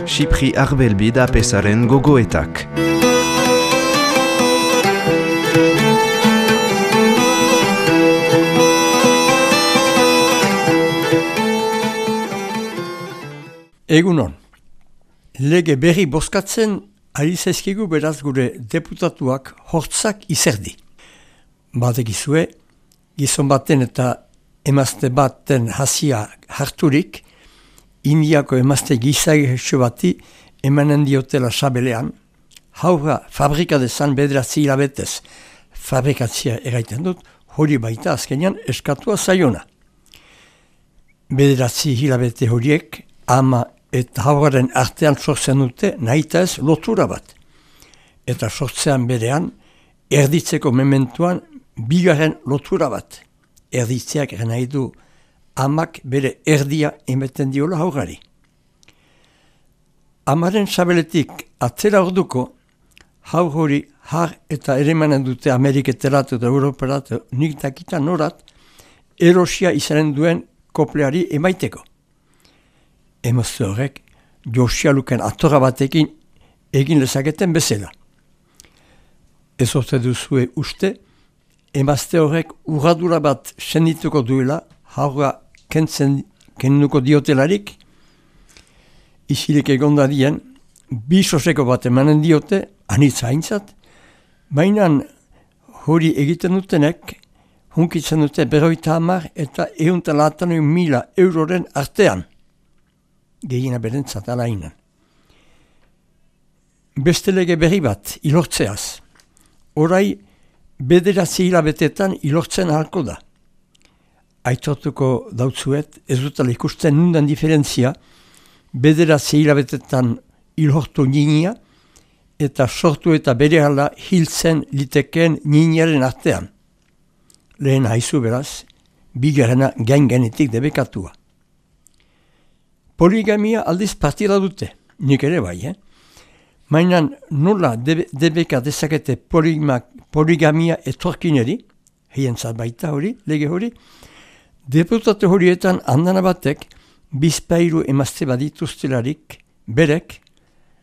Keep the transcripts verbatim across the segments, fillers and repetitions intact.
Xipri Arbelbid apesaren gogoetak. Egunon, lege berri bozkatzen ari zaizkigu beraz gure deputatuak hortzak izerdi. Badekizue, gizon baten eta emazte baten hasia harturik, Indiako emazte gizagexo bati emanen diotela sabelean, haura fabrika dezan bederatzi hilabetez fabrikatzia eraiten dut, hori baita azkenean eskatua zaiona. Bederatzi hilabete horiek ama eta hauraren artean sortzen dute nahita ez lotura bat. Eta sortzean berean erditzeko mementuan bigarren lotura bat. Erditzeak eren nahi du amak bere erdia emeten diola haurari. Amaren sabeletik atzera orduko, haur hori har eta eremanen dute Ameriketerat eta Europerat nik dakita norat, erosia izanen duen kopleari emaiteko. Emazte horrek Josialuken atorra batekin egin lezaketen bezala. Ez orte duzue uste, emazte horrek urradura bat sendituko duela, haurra kentzen kenduko diotelarik, isilik egonda dien, bi soseko bat emanen diote, anitza haintzat, baina hori egiten dutenek, hunkitzen dute berroita hamar eta ehunta laatan mila euroren artean. Gehiena berentzat alainan. Beste lege berri bat, ilortzeaz. Orai, bederatzi hilabetetan ilortzen ahalko da. Aitortuko dautzuet, ez dutela ikusten nundan diferentzia, bederatzi hilabetetan ilhortu ninia, eta sortu eta berehala hiltzen litekeen niniaren artean. Lehen haizu beraz, bigarrena gain genetik debekatua. Poligamia aldiz partida dute, nik ere bai, eh? Mainan nola debe, debeka dezakete polima, poligamia etorkineri, heien zat baita hori, lege hori, deputate horietan andana batek bizpairu emazte badituztelarik berek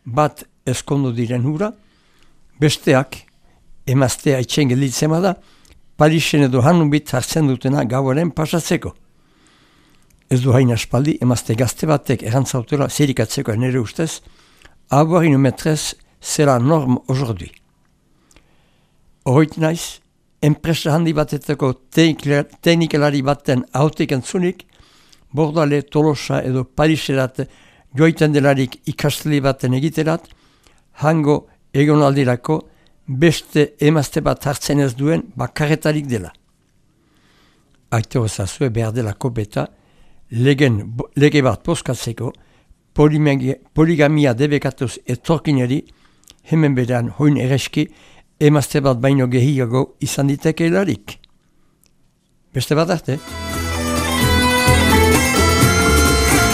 bat eskondo diren hura, besteak emaztea itxen gelditzen bada, Parisen edo hanubit hartzen dutena gauaren pasatzeko. Ez du hain aspaldi emazte gazte batek erantzautela zerikatzeko nire ustez, avoir une maîtresse c'est la norme aujourd'hui. Horreit naiz, enpresa handi batetako teknikalari baten hautik entzunik, Bordale, Tolosa edo Pariserat joiten delarik ikasli baten egiterat, hango egonaldirako beste emazte bat hartzen ez duen bakarretarik dela. Aite hozazue behar delako beta, legen, lege bat bozkatzeko, poligamia debekatuz etorkineri, hemen berean hoin ereski, emazte bat baino gehiago izan ditekeelarik. Beste bat arte?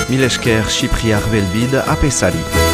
Milesker Xipri Arbelbid apesari.